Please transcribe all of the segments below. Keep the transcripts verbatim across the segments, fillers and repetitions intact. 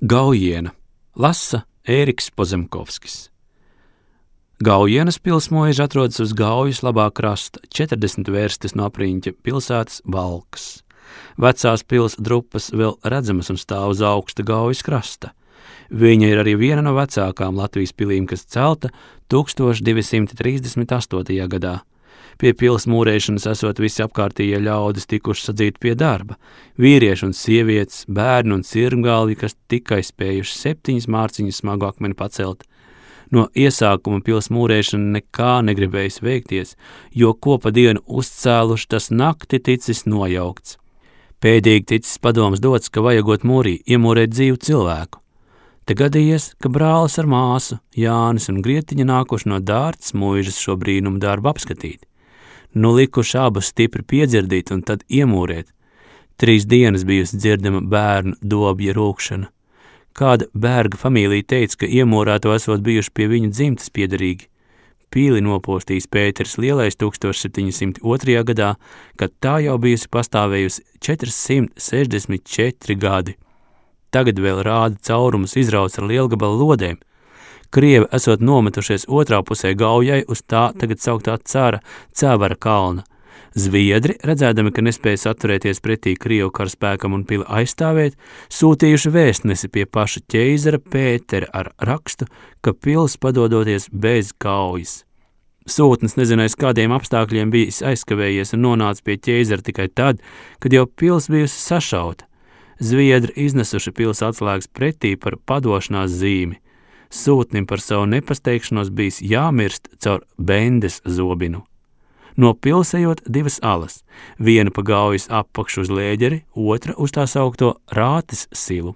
Gaujiena lasa Ēriks Pozemkovskis. Gaujienas pilsmoiža atrodas uz Gaujas labā krasta, četrdesmit vērstis no apriņķa pilsētas Valkas. Vecās pils drupas vēl redzamas un stāv uz augsta Gaujas krasta. Viņa ir arī viena no vecākām Latvijas pilīm, kas celta tūkstoš divi simti trīsdesmit astotajā gadā. Pie pils mūrēšanas esot visi apkārtējie ļaudis tikuši sadzīti pie darba. Vīrieši un sievietes, bērni un cirmgalvi, kas tikai spējuši septiņas mārciņas smagu akmeni pacelt. No iesākuma pils mūrēšana nekā negribējis veikties, jo ko pa dienu uzcēluši, tas nakti ticis nojaukts. Pēdīgi ticis padoms dots, ka vajagot mūrī iemūrēt dzīvu cilvēku. Te gadījies, ka brālis ar māsu, Jānis un Grietiņa nākuši no Dārtas muižas šo brīnumu darbu apskatīt. Nu likuši abus stipri piedzirdīt un tad iemūrēt. Trīs dienas bijusi dzirdama bērnu dobja rūkšana. Kāda bērga familija teica, ka iemūrēto esot bijuši pie viņu dzimtas piederīgi. Pīli nopostījis Pēters Lielais tūkstoš septiņi simti otrajā gadā, kad tā jau bijusi pastāvējusi četrsimt sešdesmit četri gadi. Tagad vēl rāda caurumus izrauts ar lielgabala lodēm. Krievi esot nometušies otrā pusē Gaujai uz tā tagad sauktā cara Cēvara kalna. Zviedri, redzēdami, ka nespēja atturēties pretī Krievu karaspēkam un pili aizstāvēt, sūtījuši vēstnesi pie paša ķeizara Pētera ar rakstu, ka pils padodoties bez kaujas. Sūtnis nezinājis, kādiem apstākļiem bijis aizkavējies un nonāca pie ķeizara tikai tad, kad jau pils bijusi sašauta. Zviedri iznesuši pils atslēgas pretī par padošanās zīmi. Sūtnim par savu nepasteikšanos bijis jāmirst caur bendes zobinu. No pilsējot divas alas, viena pa Gaujas apakšu uz Lēģeri, otra uz tā saukto Rātes silu.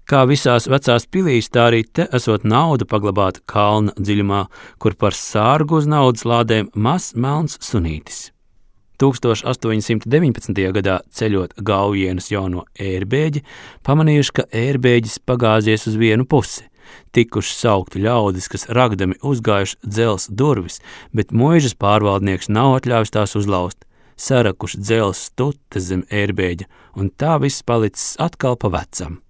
Kā visās vecās pilīs, tā arī te esot nauda paglabāta kalna dziļumā, kur par sārgu uz naudas lādēm mazs melns sunītis. tūkstoš astoņi simti deviņpadsmitajā gadā ceļot Gaujienas jauno ērbēģi, pamanījuši, ka ērbēģis pagāzies uz vienu pusi. Tikuši saukti ļaudis, kas ragdami uzgājuši dzels durvis, bet muižas pārvaldnieks nav atļāvis tās uzlaust. Sarakuši dzels stutes zem ērbēģa, un tā viss palicis atkal pa vecam.